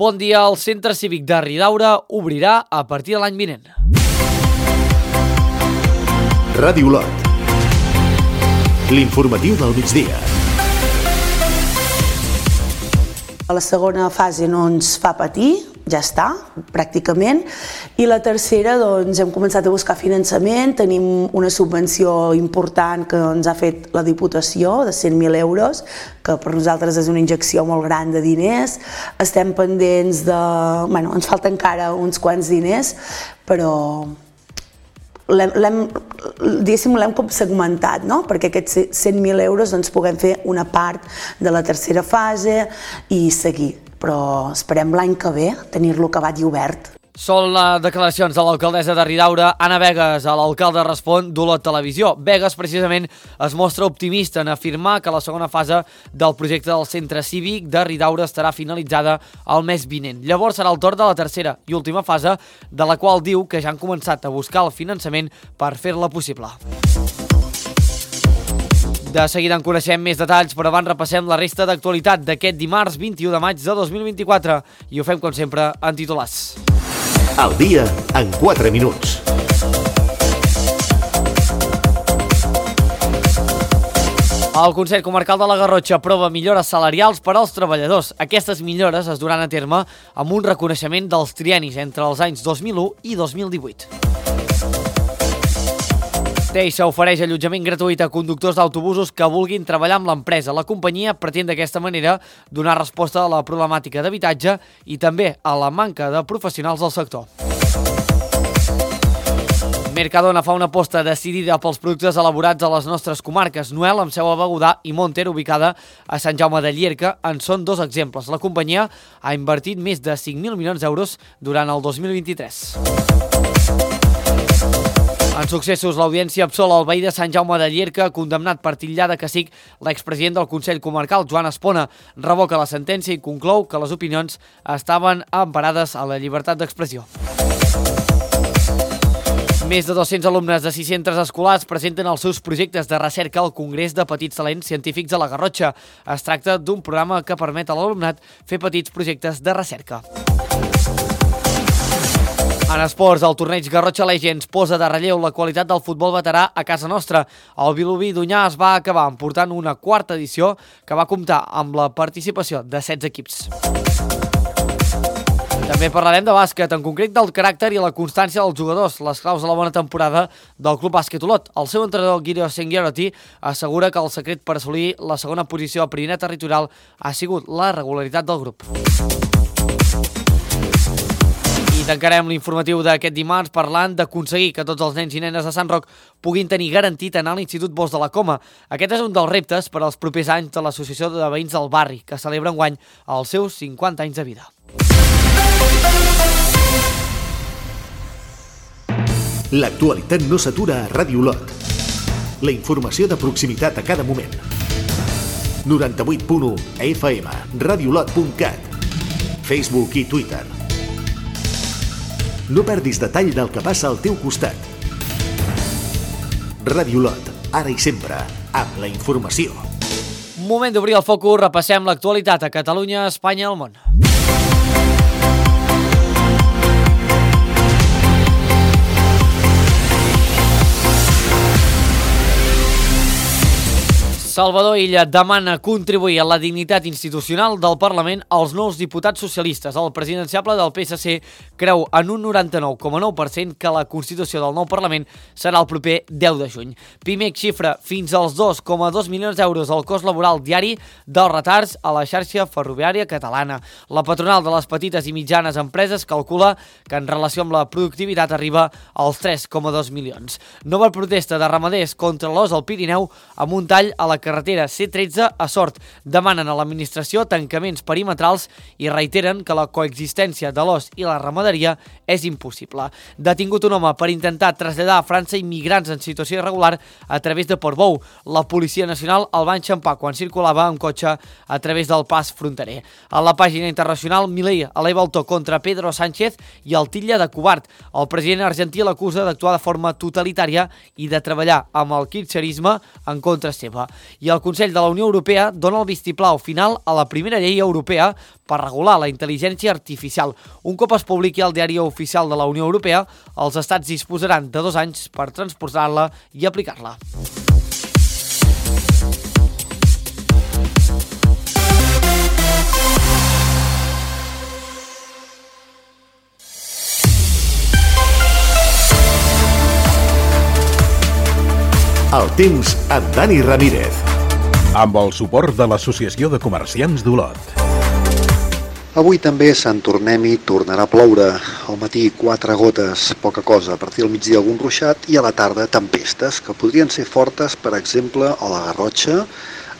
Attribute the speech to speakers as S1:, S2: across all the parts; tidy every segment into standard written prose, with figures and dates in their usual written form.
S1: Bon dia, el Centre Cívic de Ridaura obrirà a partir de l'any vinent.
S2: Ràdio Lot. L'informatiu del migdia.
S3: La segona fase no ens fa patir, ja està, pràcticament, i la tercera doncs, hem començat a buscar finançament, tenim una subvenció important que ens ha fet la Diputació de 100.000 euros, que per nosaltres és una injecció molt gran de diners, estem pendents de... ens falta encara uns quants diners, però l'hem com segmentat, no? Perquè aquests 100.000 euros doncs, puguem fer una part de la tercera fase i seguir. Però esperem l'any que ve tenir-lo acabat i obert.
S1: Són les declaracions de l'alcaldessa de Ridaura, Anna Begues. L'alcalde respon d'Olot Televisió. Begues, precisament, es mostra optimista en afirmar que la segona fase del projecte del Centre Cívic de Ridaura estarà finalitzada el mes vinent. Llavors serà el torn de la tercera i última fase, de la qual diu que ja han començat a buscar el finançament per fer-la possible. De seguida en coneixem més detalls, però abans repassem la resta d'actualitat d'aquest dimarts 21 de maig de 2024 i ho fem, com sempre, en titulars.
S2: Al dia en 4 minuts.
S1: El Consell Comarcal de la Garrotxa aprova millores salarials per als treballadors. Aquestes millores es duran a terme amb un reconeixement dels triennis entre els anys 2001 i 2018. Teixa ofereix allotjament gratuït a conductors d'autobusos que vulguin treballar amb l'empresa. La companyia pretén d'aquesta manera donar resposta a la problemàtica d'habitatge i també a la manca de professionals del sector. Mercadona fa una aposta decidida pels productes elaborats a les nostres comarques. Noel, amb seu a Begudà, i Monter, ubicada a Sant Jaume de Llierca, en són dos exemples. La companyia ha invertit més de 5.000 milions d'euros durant el 2023. En successos, l'audiència absola el veí de Sant Jaume de Llierca, condemnat per titllar de cacic l'expresident del Consell Comarcal, Joan Espona. Revoca la sentència i conclou que les opinions estaven emparades a la llibertat d'expressió. Més de 200 alumnes de 600 escolars presenten els seus projectes de recerca al Congrés de Petits Talents Científics de la Garrotxa. Es tracta d'un programa que permet a l'alumnat fer petits projectes de recerca. En esports, el torneig Garrotxa Legends posa de relleu la qualitat del futbol veterà a casa nostra. El Vilobí d'Onyar es va acabar emportant una quarta edició que va comptar amb la participació de 16 equips. També parlarem de bàsquet, en concret del caràcter i la constància dels jugadors, les claus de la bona temporada del Club Bàsquet Olot. El seu entrenador, Guido Senghieroti, assegura que el secret per assolir la segona posició a primera territorial ha sigut la regularitat del grup. I tancarem l'informatiu d'aquest dimarts parlant d'aconseguir que tots els nens i nenes de Sant Roc puguin tenir garantit anar a l'Institut Bosch de la Coma. Aquest és un dels reptes per als propers anys de l'Associació de Veïns del Barri, que celebra enguany els seus 50 anys de vida.
S2: L'actualitat no s'atura a Ràdio Lot. La informació de proximitat a cada moment. 98.1 FM, radiolot.cat, Facebook i Twitter. No perdis detall del que passa al teu costat. Ràdio Lot, ara i sempre, amb la informació.
S1: Moment d'obrir el focus, repassem l'actualitat a Catalunya, Espanya i el món. Salvador Illa demana contribuir a la dignitat institucional del Parlament als nous diputats socialistes. El presidenciable del PSC creu en un 99,9% que la constitució del nou Parlament serà el proper 10 de juny. Pimec xifra fins als 2,2 milions d'euros el cost laboral diari dels retards a la xarxa ferroviària catalana. La patronal de les petites i mitjanes empreses calcula que en relació amb la productivitat arriba als 3,2 milions. Nova protesta de ramaders contra l'os al Pirineu amb un tall a la carretera C13 a Sort. Demanen a l'administració tancaments perimetrals i reiteren que la coexistència de l'os i la ramaderia és impossible. Detingut un home per intentar traslladar a França immigrants en situació irregular a través de Portbou. La Policia Nacional el va enxampar quan circulava amb cotxe a través del pas fronterer. A la pàgina internacional, Milei eleva el to contra Pedro Sánchez i el titlla de covard. El president argentí l'acusa d'actuar de forma totalitària i de treballar amb el kirchnerisme en contra seva. I el Consell de la Unió Europea dona el vistiplau final a la primera llei europea per regular la intel·ligència artificial. Un cop es publiqui al Diari Oficial de la Unió Europea, els estats disposaran de 2 anys per transposar-la i aplicar-la.
S2: El temps amb Dani Ramírez.
S4: Amb el suport de l'Associació de Comerciants d'Olot.
S5: Avui també a Sant Tornem-hi tornarà a ploure. Al matí 4 gotes, poca cosa. A partir del migdia algun ruixat i a la tarda tempestes, que podrien ser fortes, per exemple, a la Garrotxa,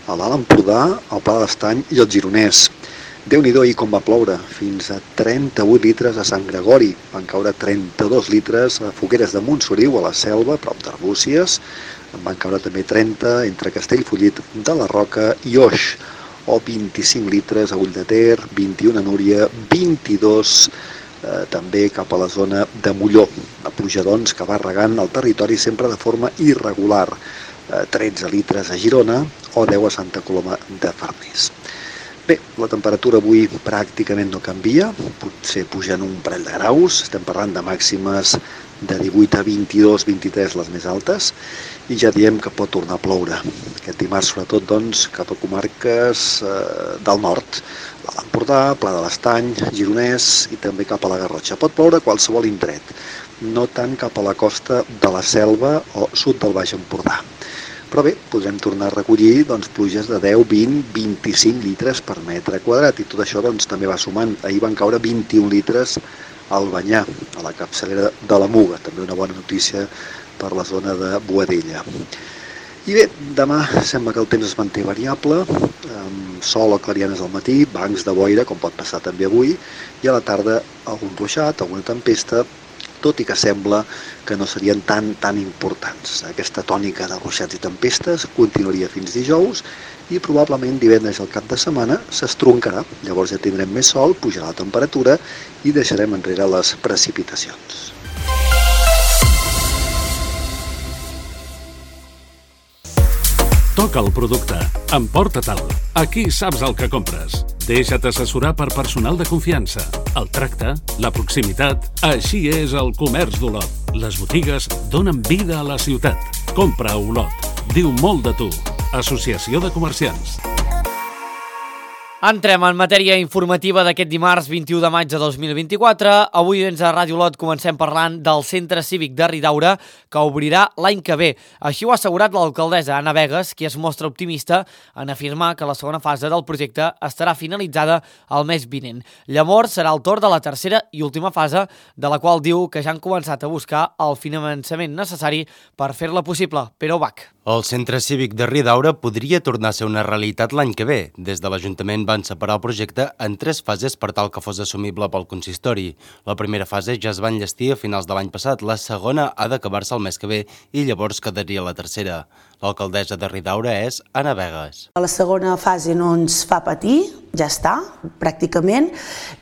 S5: a l'Alt Empordà, al Pla de l'Estany i al Gironès. Déu-n'hi-do ahir com va ploure, fins a 38 litres a Sant Gregori, van caure 32 litres a Fogueres de Montsoriu, a la Selva, prop d'Arbúcies, en van caure també 30 entre Castellfollit de la Roca i Oix, o 25 litres a Ull de Ter, 21 a Núria, 22 també cap a la zona de Molló, a pluja doncs que va regant el territori sempre de forma irregular, 13 litres a Girona o 10 a Santa Coloma de Farners. Bé, la temperatura avui pràcticament no canvia, potser pugen un parell de graus, estem parlant de màximes de 18 a 22, 23 les més altes, i ja diem que pot tornar a ploure. Aquest dimarts, sobretot, doncs, cap a comarques del nord, l'Alt Empordà, Pla de l'Estany, Gironès i també cap a la Garrotxa. Pot ploure a qualsevol indret, no tant cap a la costa de la Selva o sud del Baix Empordà. Però bé, podrem tornar a recollir pluges de 10, 20, 25 litres per metre quadrat i tot això també va sumant. Ahir van caure 21 litres al Banyà, a la capçalera de la Muga, també una bona notícia per la zona de Boadella. I bé, demà sembla que el temps es manté variable, amb sol o clarianes al matí, bancs de boira, com pot passar també avui, i a la tarda algun ruixat, alguna tempesta, tot i que sembla que no serien tan importants. Aquesta tònica de ruixats i tempestes continuaria fins dijous i probablement divendres al cap de setmana s'estroncarà. Llavors ja tindrem més sol, pujarà la temperatura i deixarem enrere les precipitacions.
S6: Toca el producte. Emporta-te'l. Aquí saps el que compres. Deixa't assessorar per personal de confiança. El tracte, la proximitat... Així és el comerç d'Olot. Les botigues donen vida a la ciutat. Compra a Olot. Diu molt de tu. Associació de Comerciants.
S1: Entrem en matèria informativa d'aquest dimarts 21 de maig de 2024. Avui a Ràdio Olot comencem parlant del Centre Cívic de Ridaura, que obrirà l'any que ve. Així ho ha assegurat l'alcaldessa Anna Vegas, qui es mostra optimista en afirmar que la segona fase del projecte estarà finalitzada el mes vinent. Llavors serà el torn de la tercera i última fase, de la qual diu que ja han començat a buscar el finançament necessari per fer-la possible. Pere Ubach.
S7: El Centre Cívic de Ridaura podria tornar a ser una realitat l'any que ve. Des de l'Ajuntament van separar el projecte en 3 fases per tal que fos assumible pel consistori. La primera fase ja es va enllestir a finals de l'any passat, la segona ha d'acabar-se el mes que ve i llavors quedaria la tercera. L'alcaldessa de Ridaura és Anna Vegas.
S3: La segona fase no ens fa patir, ja està, pràcticament,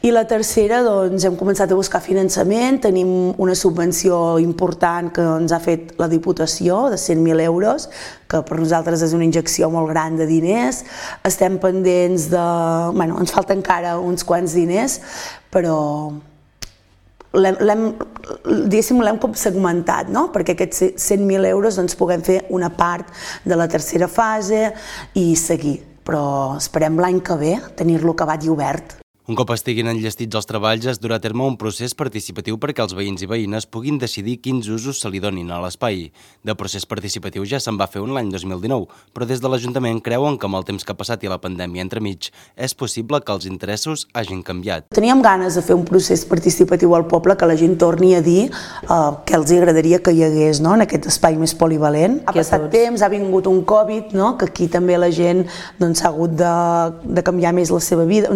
S3: i la tercera doncs hem començat a buscar finançament, tenim una subvenció important que ens ha fet la Diputació de 100.000 euros, que per nosaltres és una injecció molt gran de diners, estem pendents de... Bueno, ens falta encara uns quants diners, però l'hem com segmentat, no? Perquè aquests 100.000 euros doncs, puguem fer una part de la tercera fase i seguir. Però esperem l'any que ve tenir-lo acabat i obert.
S7: Un cop estiguin enllestits els treballs, es durà a terme un procés participatiu perquè els veïns i veïnes puguin decidir quins usos se li donin a l'espai. De procés participatiu ja se'n va fer un l'any 2019, però des de l'Ajuntament creuen que amb el temps que ha passat i la pandèmia entremig és possible que els interessos hagin canviat.
S3: Teníem ganes de fer un procés participatiu al poble, que la gent torni a dir que els agradaria que hi hagués, no?, en aquest espai més polivalent. Ha passat temps, ha vingut un Covid, no?, que aquí també la gent doncs, s'ha hagut de canviar més la seva vida.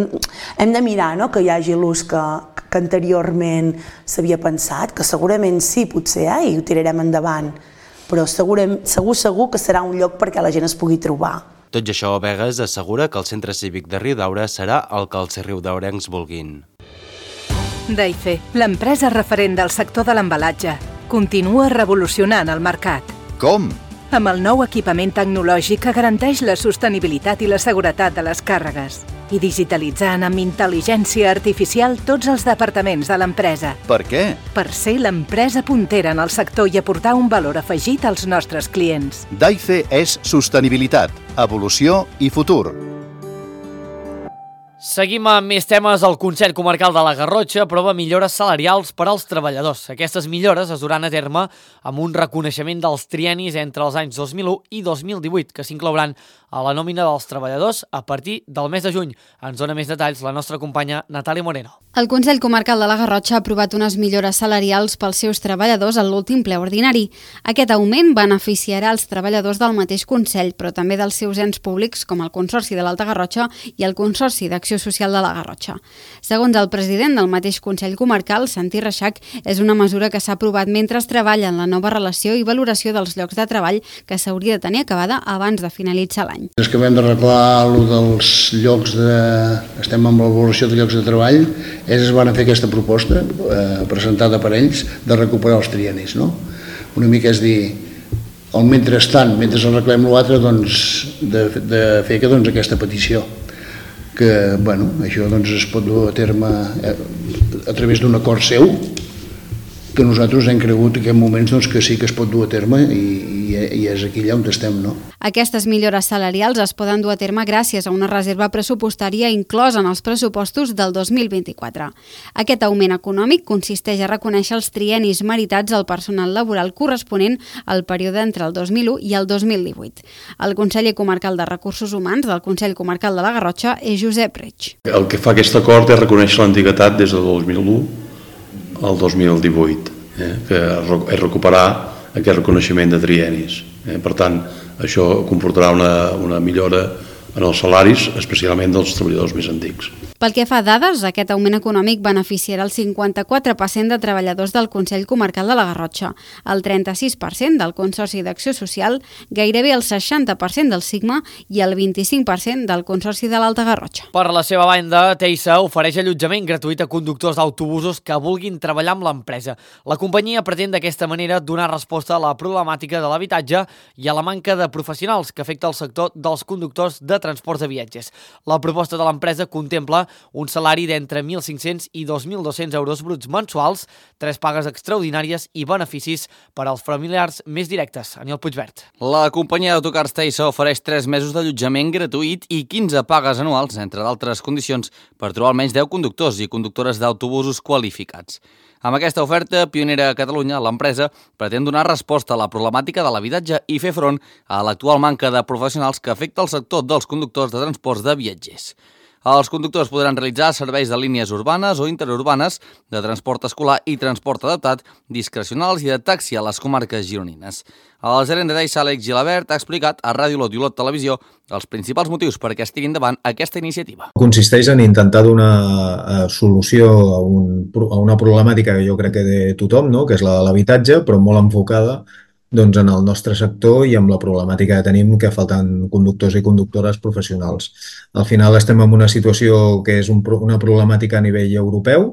S3: Hem de mirar, no?, que hi hagi l'ús que anteriorment s'havia pensat, que segurament sí, potser, i ho tirarem endavant, però segur que serà un lloc perquè la gent es pugui trobar.
S7: Tot i això, Vegas assegura que el Centre Cívic de Riudaura serà el que els riudaurencs vulguin.
S8: Daife, l'empresa referent del sector de l'embalatge, continua revolucionant el mercat.
S9: Com?
S8: amb el nou equipament tecnològic que garanteix la sostenibilitat i la seguretat de les càrregues i digitalitzant amb intel·ligència artificial tots els departaments de l'empresa.
S9: Per què?
S8: Per ser l'empresa puntera en el sector i aportar un valor afegit als nostres clients.
S9: DAICE és sostenibilitat, evolució i futur.
S1: Seguim amb més temes. El Consell Comarcal de la Garrotxa aprova millores salarials per als treballadors. Aquestes millores es duran a terme amb un reconeixement dels triennis entre els anys 2001 i 2018, que s'inclouran a la nòmina dels treballadors a partir del mes de juny. Ens dona més detalls la nostra companya Natàlia Moreno.
S10: El Consell Comarcal de la Garrotxa ha aprovat unes millores salarials pels seus treballadors en l'últim ple ordinari. Aquest augment beneficiarà els treballadors del mateix Consell, però també dels seus ens públics, com el Consorci de l'Alta Garrotxa i el Consorci d'Acció Social de la Garrotxa. Segons el president del mateix Consell Comarcal, Santi Reixac, és una mesura que s'ha aprovat mentre es treballa en la nova relació i valoració dels llocs de treball que s'hauria de tenir acabada abans de finalitzar l'any.
S11: És que vam d'arreglar allò dels llocs estem amb la valoració de llocs de treball. Ells van fer aquesta proposta presentada per ells de recuperar els triennis, no? Una mica és dir, el mentrestant, mentre arreglem l'altre, doncs, de fer aquesta petició. Que, bueno, això es pot dur a terme a través d'un acord seu, que nosaltres hem cregut en aquests moments que sí que es pot dur a terme i és aquí allà on estem, no?
S10: Aquestes millores salarials es poden dur a terme gràcies a una reserva pressupostària inclosa en els pressupostos del 2024. Aquest augment econòmic consisteix a reconèixer els triennis meritats al personal laboral corresponent al període entre el 2001 i el 2018. El conseller comarcal de Recursos Humans del Consell Comarcal de la Garrotxa és Josep Reig.
S12: El que fa aquest acord és reconèixer l'antiguitat des del 2001 al 2018, que és recuperar aquest reconeixement de triennis. Per tant, això comportarà una millora en els salaris, especialment dels treballadors més antics.
S10: Pel que fa a dades, aquest augment econòmic beneficiarà el 54% de treballadors del Consell Comarcal de la Garrotxa, el 36% del Consorci d'Acció Social, gairebé el 60% del Sigma i el 25% del Consorci de l'Alta Garrotxa.
S1: Per la seva banda, Teisa ofereix allotjament gratuït a conductors d'autobusos que vulguin treballar amb l'empresa. La companyia pretén d'aquesta manera donar resposta a la problemàtica de l'habitatge i a la manca de professionals que afecta el sector dels conductors de transports de viatges. La proposta de l'empresa contempla un salari d'entre 1.500 i 2.200 euros bruts mensuals, 3 pagues extraordinàries i beneficis per als familiars més directes. Aniol Puigvert.
S13: La companyia d'autocars Teisa ofereix 3 mesos d'allotjament gratuït i 15 pagues anuals, entre d'altres condicions, per trobar almenys 10 conductors i conductores d'autobusos qualificats. Amb aquesta oferta pionera a Catalunya, l'empresa pretén donar resposta a la problemàtica de l'habitatge i fer front a l'actual manca de professionals que afecta el sector dels conductors de transports de viatgers. Els conductors podran realitzar serveis de línies urbanes o interurbanes, de transport escolar i transport adaptat, discrecionals i de taxi a les comarques gironines. El gerent de Teisa, Àlex Gilabert, ha explicat a Ràdio Olot i Olot Televisió els principals motius perquè es tiri endavant aquesta iniciativa.
S14: Consisteix en intentar donar solució a una problemàtica que jo crec que té tothom, no? Que és la de l'habitatge, però molt enfocada en el nostre sector i amb la problemàtica que tenim que falten conductors i conductores professionals. Al final estem en una situació que és una problemàtica a nivell europeu,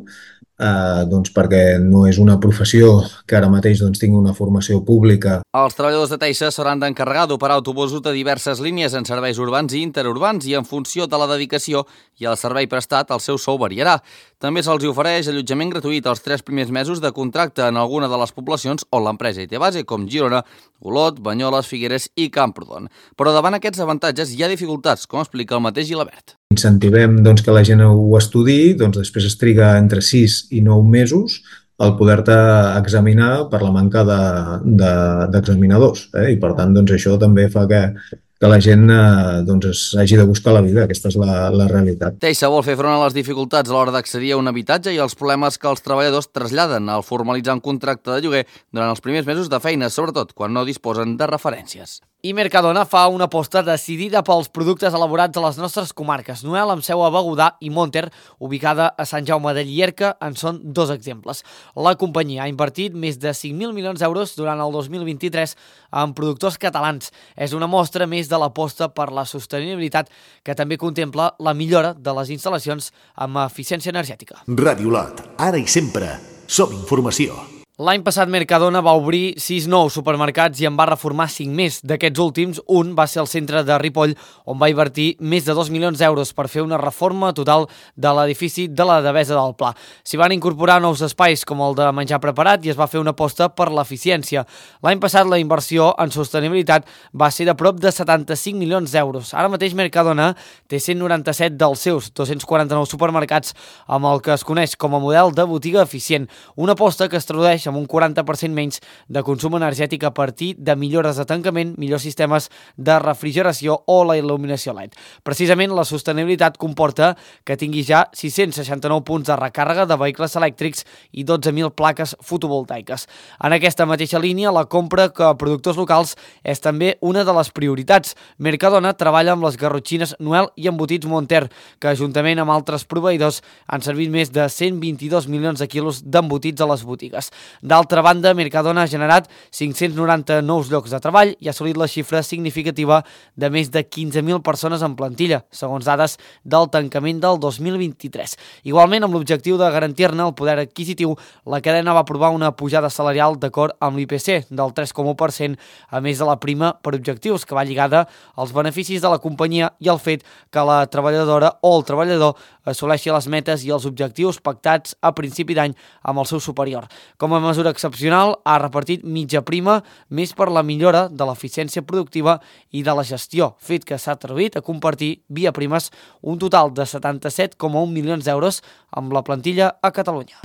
S14: perquè no és una professió que ara mateix tingui una formació pública.
S13: Els treballadors de Teisa s'hauran d'encarregar d'operar autobusos de diverses línies en serveis urbans i interurbans i en funció de la dedicació i el servei prestat el seu sou variarà. També se'ls ofereix allotjament gratuït els 3 primers mesos de contracte en alguna de les poblacions on l'empresa hi té base, com Girona, Olot, Banyoles, Figueres i Camprodon. Però davant aquests avantatges hi ha dificultats, com explica el mateix Gilabert.
S14: Incentivem que la gent ho estudiï, després es triga entre 6 i 9 mesos el poder-te examinar per la manca d'examinadors. I per tant això també fa que la gent hagi de buscar la vida. Aquesta és la realitat.
S13: Teisa vol fer front a les dificultats a l'hora d'accedir a un habitatge i els problemes que els treballadors traslladen al formalitzar un contracte de lloguer durant els primers mesos de feina, sobretot quan no disposen de referències.
S1: I Mercadona fa una aposta decidida pels productes elaborats a les nostres comarques. Noel, amb seu a Begudà, i Monter, ubicada a Sant Jaume de Llierca, en són 2 exemples. La companyia ha invertit més de 5.000 milions d'euros durant el 2023 en productors catalans. És una mostra més de l'aposta per la sostenibilitat que també contempla la millora de les instal·lacions amb eficiència energètica.
S2: Ràdio Olot, ara i sempre, som informació.
S1: L'any passat Mercadona va obrir 6 nous supermercats i en va reformar 5 més. D'aquests últims, un va ser el centre de Ripoll, on va invertir més de 2 milions d'euros per fer una reforma total de l'edifici de la Devesa del Pla. S'hi van incorporar nous espais com el de menjar preparat i es va fer una aposta per l'eficiència. L'any passat la inversió en sostenibilitat va ser de prop de 75 milions d'euros. Ara mateix Mercadona té 197 dels seus 249 supermercats amb el que es coneix com a model de botiga eficient, una aposta que es tradueix amb un 40% menys de consum energètic a partir de millores de tancament, millors sistemes de refrigeració o la il·luminació LED. Precisament la sostenibilitat comporta que tingui ja 669 punts de recàrrega de vehicles elèctrics i 12.000 plaques fotovoltaiques. En aquesta mateixa línia, la compra de productors locals és també una de les prioritats. Mercadona treballa amb les garrotxines Noel i embotits Monter, que juntament amb altres proveïdors han servit més de 122 milions de quilos d'embotits a les botigues. D'altra banda, Mercadona ha generat 590 nous llocs de treball i ha assolit la xifra significativa de més de 15.000 persones en plantilla, segons dades del tancament del 2023. Igualment, amb l'objectiu de garantir-ne el poder adquisitiu, la cadena va aprovar una pujada salarial d'acord amb l'IPC del 3,1%, a més de la prima per objectius, que va lligada als beneficis de la companyia i al fet que la treballadora o el treballador assoleixi les metes i els objectius pactats a principi d'any amb el seu superior. Com a mesura excepcional, ha repartit mitja prima més per la millora de l'eficiència productiva i de la gestió, fet que s'ha traduït a compartir via primes un total de 77,1 milions d'euros amb la plantilla a Catalunya.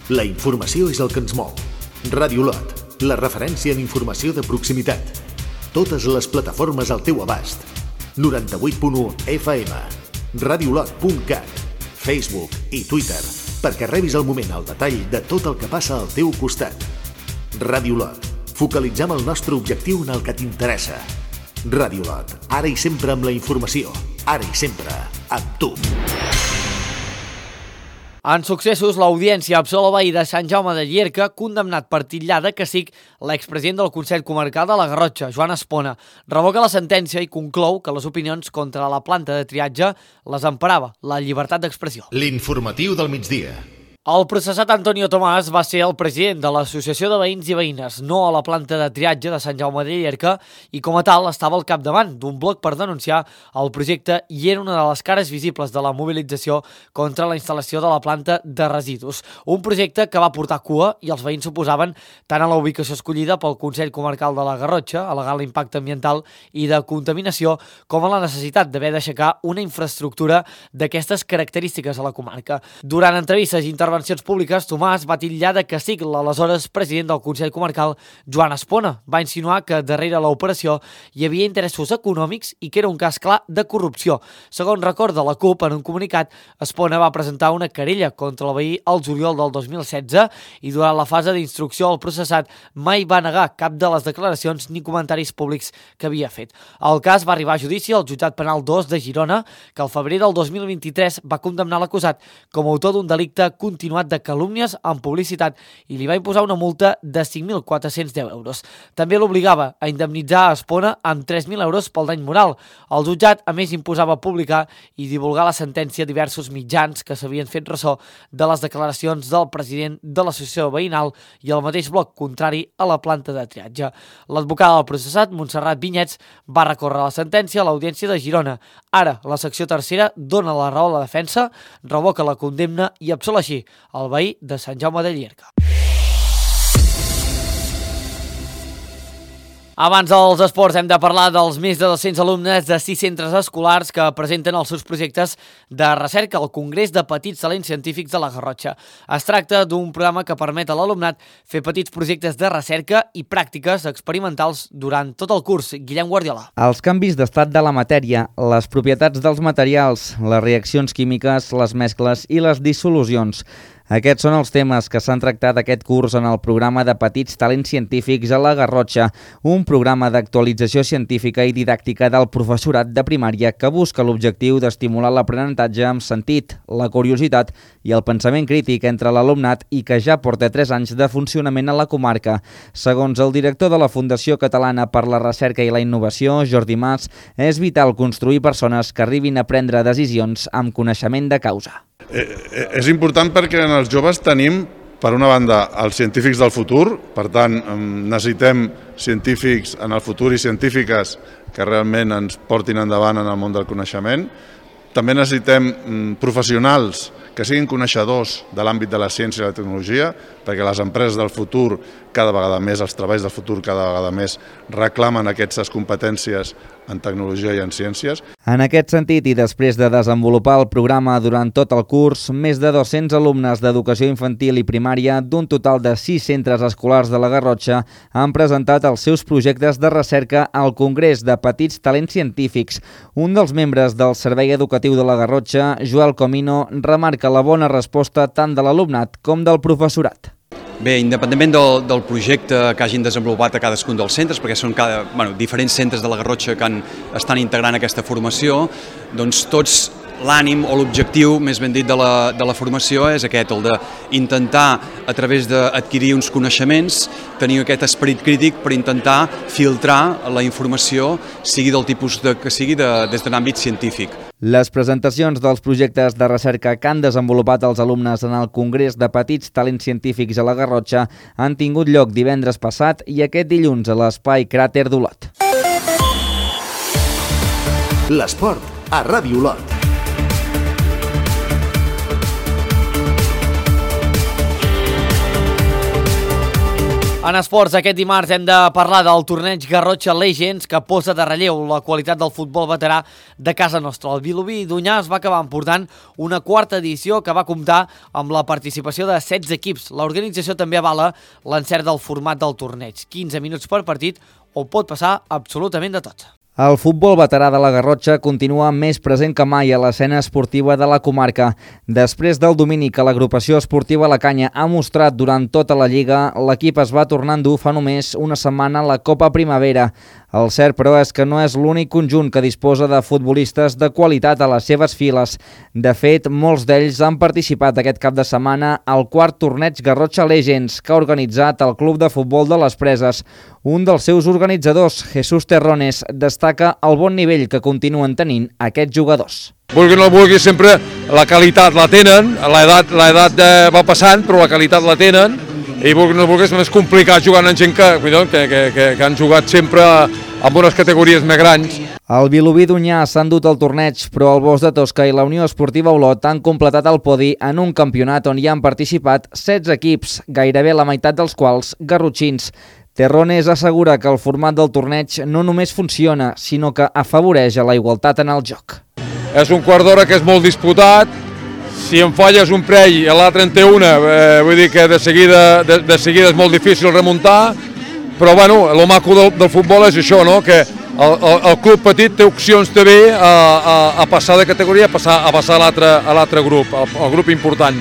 S2: La informació és el que ens mou. Ràdio Lot, la referència en informació de proximitat. Totes les plataformes al teu abast. 98.1 FM, radiolot.cat, Facebook i Twitter, perquè rebis al moment el detall de tot el que passa al teu costat. Ràdio Lot, focalitzem el nostre objectiu en el que t'interessa. Ràdio Lot, ara i sempre amb la informació, ara i sempre amb tu.
S1: En successos, l'Audiència absola el veí de Sant Jaume de Llierca, condemnat per titllar de cacic l'expresident del Consell Comarcal de la Garrotxa, Joan Espona. Revoca la sentència i conclou que les opinions contra la planta de triatge les emparava la llibertat d'expressió.
S2: L'informatiu del migdia.
S1: El processat Antonio Tomàs va ser el president de l'Associació de Veïns i Veïnes, no a la planta de triatge de Sant Jaume de Llierca, i com a tal estava al capdavant d'un bloc per denunciar el projecte i era una de les cares visibles de la mobilització contra la instal·lació de la planta de residus. Un projecte que va portar cua i els veïns s'oposaven tant a la ubicació escollida pel Consell Comarcal de la Garrotxa, al·legant l'impacte ambiental i de contaminació, com a la necessitat d'haver d'aixecar una infraestructura d'aquestes característiques a la comarca. Durant entrevistes i intervencions públiques, Tomàs va titllar de cacic l'aleshores president del Consell Comarcal, Joan Espona. Va insinuar que darrere l'operació hi havia interessos econòmics i que era un cas clar de corrupció. Segons recorda la CUP, en un comunicat, Espona va presentar una querella contra el veí al juliol del 2016 i durant la fase d'instrucció el processat mai va negar cap de les declaracions ni comentaris públics que havia fet. El cas va arribar a judici al Jutjat Penal 2 de Girona, que al febrer del 2023 va condemnar l'acusat com a autor d'un delicte continuat de calúmnies en publicitat i li va imposar una multa de 5.410 euros. També l'obligava a indemnitzar a Espona amb 3.000 euros pel dany moral. El jutjat, a més, imposava publicar i divulgar la sentència a diversos mitjans que s'havien fet ressò de les declaracions del president de l'associació veïnal i el mateix bloc contrari a la planta de triatge. L'advocada del processat, Montserrat Vinyets, va recórrer la sentència a l'Audiència de Girona. Ara, la secció tercera dona la raó a la defensa, revoca la condemna i absol així el veí de Sant Jaume de Llierca. Abans dels esports hem de parlar dels més de 200 alumnes de 6 centres escolars que presenten els seus projectes de recerca al Congrés de Petits Talents Científics de la Garrotxa. Es tracta d'un programa que permet a l'alumnat fer petits projectes de recerca i pràctiques experimentals durant tot el curs. Guillem Guardiola.
S15: Els canvis d'estat de la matèria, les propietats dels materials, les reaccions químiques, les mescles i les dissolucions. Aquests són els temes que s'han tractat aquest curs en el programa de Petits Talents Científics a la Garrotxa, un programa d'actualització científica i didàctica del professorat de primària que busca l'objectiu d'estimular l'aprenentatge amb sentit, la curiositat i el pensament crític entre l'alumnat i que ja porta 3 anys de funcionament a la comarca. Segons el director de la Fundació Catalana per la Recerca i la Innovació, Jordi Mas, és vital construir persones que arribin a prendre decisions amb coneixement de causa.
S16: És important perquè en els joves tenim per una banda, els científics del futur, per tant, necessitem científics en el futur i científiques que realment ens portin endavant en el món del coneixement. També necessitem professionals que siguin coneixedors de l'àmbit de la ciència i la tecnologia, perquè les empreses del futur cada vegada més, els treballs del futur cada vegada més reclamen aquestes competències en tecnologia i en ciències.
S15: En aquest sentit, i després de desenvolupar el programa durant tot el curs, més de 200 alumnes d'educació infantil i primària d'un total de 6 centres escolars de la Garrotxa han presentat els seus projectes de recerca al Congrés de Petits Talents Científics. Un dels membres del Servei Educatiu de la Garrotxa, Joel Comino, remarca la bona resposta tant de l'alumnat com del professorat.
S17: Bé, independentment del projecte que hagin desenvolupat a cadascun dels centres, perquè són diferents centres de la Garrotxa que estan integrant aquesta formació, doncs tots l'ànim o l'objectiu, més ben dit, de la formació és aquest, el d'intentar, a través d'adquirir uns coneixements, tenir aquest esperit crític per intentar filtrar la informació, sigui del tipus que sigui, des de l'àmbit científic.
S15: Les presentacions dels projectes de recerca que han desenvolupat els alumnes en el Congrés de Petits Talents Científics a la Garrotxa han tingut lloc divendres passat i aquest dilluns a l'Espai Cràter d'Olot.
S2: L'esport a Ràdio Olot.
S1: En esports, aquest dimarts hem de parlar del torneig Garrotxa Legends que posa de relleu la qualitat del futbol veterà de casa nostra. El Vilobí d'Onyar es va acabar emportant una quarta edició que va comptar amb la participació de 16 equips. L'organització també avala l'encert del format del torneig, 15 minuts per partit, on pot passar absolutament de tot.
S15: El futbol veterà de la Garrotxa continua més present que mai a l'escena esportiva de la comarca. Després del domini que l'agrupació esportiva La Canya ha mostrat durant tota la Lliga, l'equip es va tornar a endur fa només una setmana a la Copa Primavera. El cert, però, és que no és l'únic conjunt que disposa de futbolistes de qualitat a les seves files. De fet, molts d'ells han participat aquest cap de setmana al quart torneig Garrotxa Legends que ha organitzat el Club de Futbol de les Preses. Un dels seus organitzadors, Jesús Terrones, destaca el bon nivell que continuen tenint aquests jugadors.
S18: Vulgui o no vulgui, sempre la qualitat la tenen, l'edat va passant, però la qualitat la tenen, i vulgui o no vulgui, és més complicat jugar amb gent que han jugat sempre amb unes categories més grans.
S15: El Vilobí d'Onyar s'ha endut el torneig, però el Bosc de Tosca i la Unió Esportiva Olot han completat el podi en un campionat on hi han participat 16 equips, gairebé la meitat dels quals garrotxins. Terrones assegura que el format del torneig no només funciona, sinó que afavoreix a la igualtat en el joc.
S18: És un quart d'hora que és molt disputat, si en falles un parell i l'altre en té una, vull dir que de seguida és molt difícil remuntar, però bueno, el maco del futbol és això, no? Que el club petit té opcions també a passar de categoria, a passar a l'altre grup, al grup important.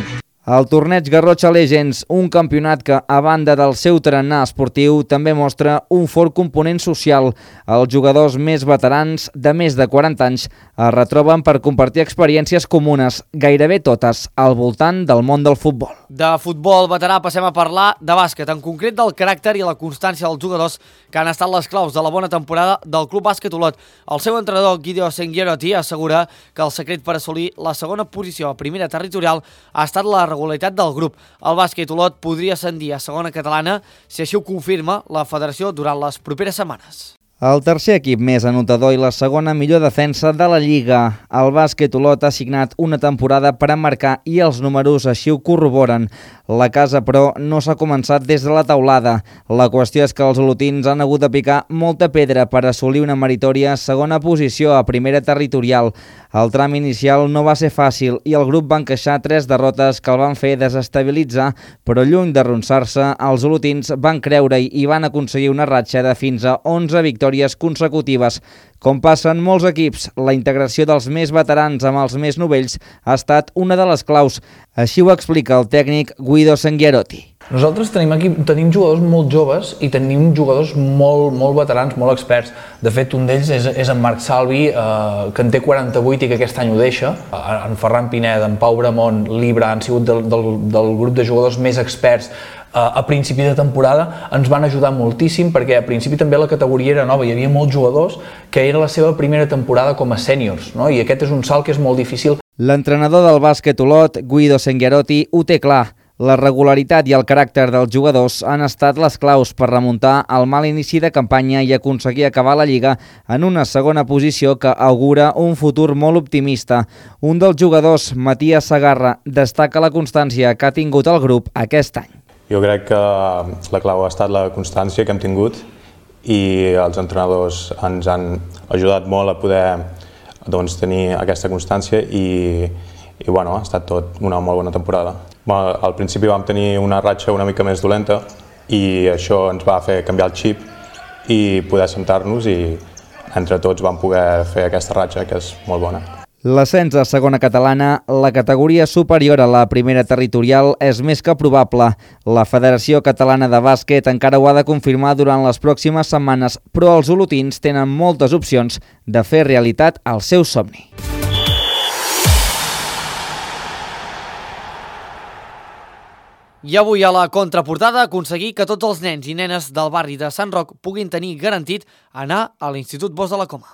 S15: El torneig Garrotxa Legends, un campionat que, a banda del seu tarannà esportiu, també mostra un fort component social. Els jugadors més veterans, de més de 40 anys, es retroben per compartir experiències comunes, gairebé totes, al voltant del món del futbol.
S1: De futbol veterà passem a parlar de bàsquet, en concret del caràcter i la constància dels jugadors que han estat les claus de la bona temporada del Club Bàsquet Olot. El seu entrenador, Guido Senghieroti, assegura que el secret per assolir la segona posició a primera territorial ha estat la regularitat del grup. El Bàsquet Olot podria ascendir a segona catalana si així ho confirma la federació durant les properes setmanes.
S15: El tercer equip més anotador i la segona millor defensa de la Lliga. El Bàsquet Olot ha signat una temporada per emmarcar i els números així ho corroboren. La casa, però, no s'ha començat des de la teulada. La qüestió és que els olotins han hagut de picar molta pedra per assolir una meritòria segona posició a primera territorial. El tram inicial no va ser fàcil i el grup va encaixar 3 derrotes que el van fer desestabilitzar, però lluny d'arronsar-se, els olotins van creure-hi i van aconseguir una ratxa de fins a 11 victòries consecutives. Com passa en molts equips, la integració dels més veterans amb els més novells ha estat una de les claus. Així ho explica el tècnic Guido Senghieroti.
S19: Nosaltres tenim jugadors molt joves i tenim jugadors molt veterans, molt experts. De fet, un d'ells és en Marc Salvi, que en té 48 i que aquest any ho deixa. En Ferran Pineda, en Pau Bramont, l'Ibra han sigut del grup de jugadors més experts a principi de temporada. Ens van ajudar moltíssim perquè a principi també la categoria era nova, hi havia molts jugadors que era la seva primera temporada com a sèniors, no? I aquest és un salt que és molt difícil.
S15: L'entrenador del Bàsquet Olot, Guido Senghieroti, ho té clar. La regularitat i el caràcter dels jugadors han estat les claus per remuntar el mal inici de campanya i aconseguir acabar la Lliga en una segona posició que augura un futur molt optimista. Un dels jugadors, Matías Sagarra, destaca la constància que ha tingut el grup aquest any.
S20: Jo crec que la clau ha estat la constància que hem tingut i els entrenadors ens han ajudat molt a poder tenir aquesta constància i ha estat tot una molt bona temporada. Al principi vam tenir una ratxa una mica més dolenta i això ens va fer canviar el xip i poder assentar-nos i entre tots vam poder fer aquesta ratxa que és molt bona.
S15: L'ascens a segona catalana, la categoria superior a la primera territorial, és més que probable. La Federació Catalana de Bàsquet encara ho ha de confirmar durant les pròximes setmanes, però els olotins tenen moltes opcions de fer realitat el seu somni.
S1: I avui a la contraportada aconseguir que tots els nens i nenes del barri de Sant Roc puguin tenir garantit anar a l'Institut Bosch de la Coma.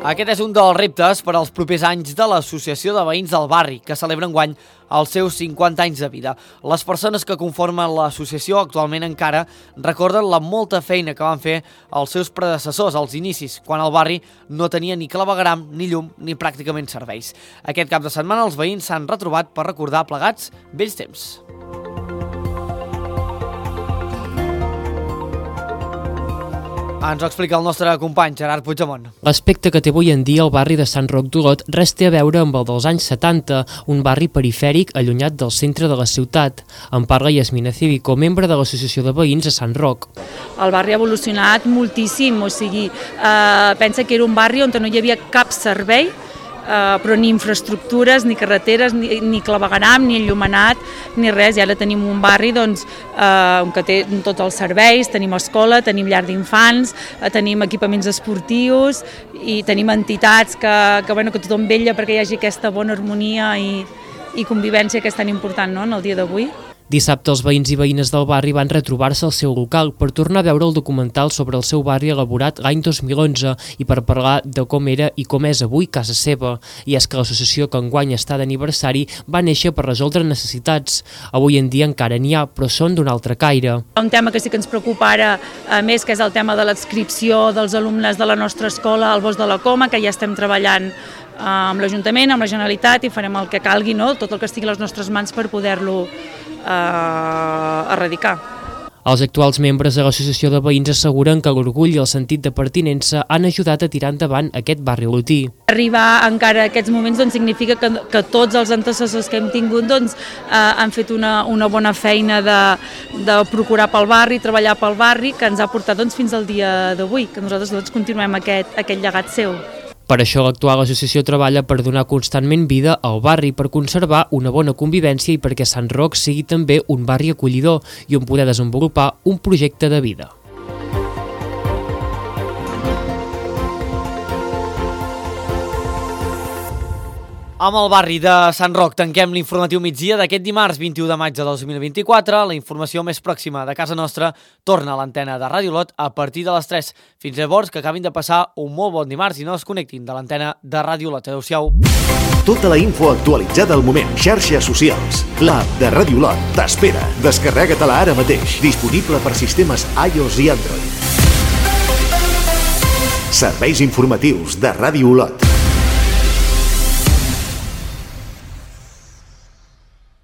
S1: Aquest és un dels reptes per als propers anys de l'Associació de Veïns del Barri, que celebra enguany els seus 50 anys de vida. Les persones que conformen l'associació actualment encara recorden la molta feina que van fer els seus predecessors als inicis, quan el barri no tenia ni clavegueram, ni llum, ni pràcticament serveis. Aquest cap de setmana els veïns s'han retrobat per recordar plegats vells temps. Ens ho explica el nostre company Gerard Puigdemont.
S21: L'aspecte que té avui en dia el barri de Sant Roc d'Olot res té a veure amb el dels anys 70, un barri perifèric allunyat del centre de la ciutat. En parla Yasmina Cívico, membre de l'Associació de Veïns de Sant Roc.
S22: El barri ha evolucionat moltíssim, o sigui, pensa que era un barri on no hi havia cap servei, però ni infraestructures, ni carreteres, ni clavegueram, ni enllumenat, ni res. I ara tenim un barri que té tots els serveis, tenim escola, tenim llar d'infants, tenim equipaments esportius i tenim entitats que tothom vetlla perquè hi hagi aquesta bona harmonia i convivència que és tan important, no?, en el dia d'avui.
S21: Dissabte els veïns i veïnes del barri van retrobar-se al seu local per tornar a veure el documental sobre el seu barri elaborat l'any 2011 i per parlar de com era i com és avui casa seva. I és que l'associació que enguany està d'aniversari va néixer per resoldre necessitats. Avui en dia encara n'hi ha, però són d'un altre caire.
S22: Un tema que sí que ens preocupa ara més, que és el tema de l'adscripció dels alumnes de la nostra escola al Bosch de la Coma, que ja estem treballant amb l'Ajuntament, amb la Generalitat, i farem el que calgui, no?, tot el que estigui a les nostres mans per poder-lo erradicar.
S21: Els actuals membres de l'associació de veïns asseguren que l'orgull i el sentit de pertinença han ajudat a tirar endavant aquest barri olotí.
S22: Arribar encara a aquests moments significa que tots els antecessors que hem tingut han fet una bona feina de procurar pel barri, treballar pel barri, que ens ha portat fins al dia d'avui, que nosaltres continuem aquest llegat seu.
S21: Per això l'actual associació treballa per donar constantment vida al barri, per conservar una bona convivència i perquè Sant Roc sigui també un barri acollidor i on poder desenvolupar un projecte de vida.
S1: Amb el barri de Sant Roc tanquem l'informatiu migdia d'aquest dimarts 21 de maig de 2024. La informació més pròxima de casa nostra torna a l'antena de Ràdio Olot a partir de les 3. Fins llavors, que acabin de passar un molt bon dimarts i no es connectin de l'antena de Ràdio Olot. Adéu-siau.
S2: Tota la info actualitzada al moment. Xarxes socials. L'app de Ràdio Olot t'espera. Descarrega-te-la ara mateix. Disponible per sistemes iOS i Android. Serveis informatius de Ràdio Olot.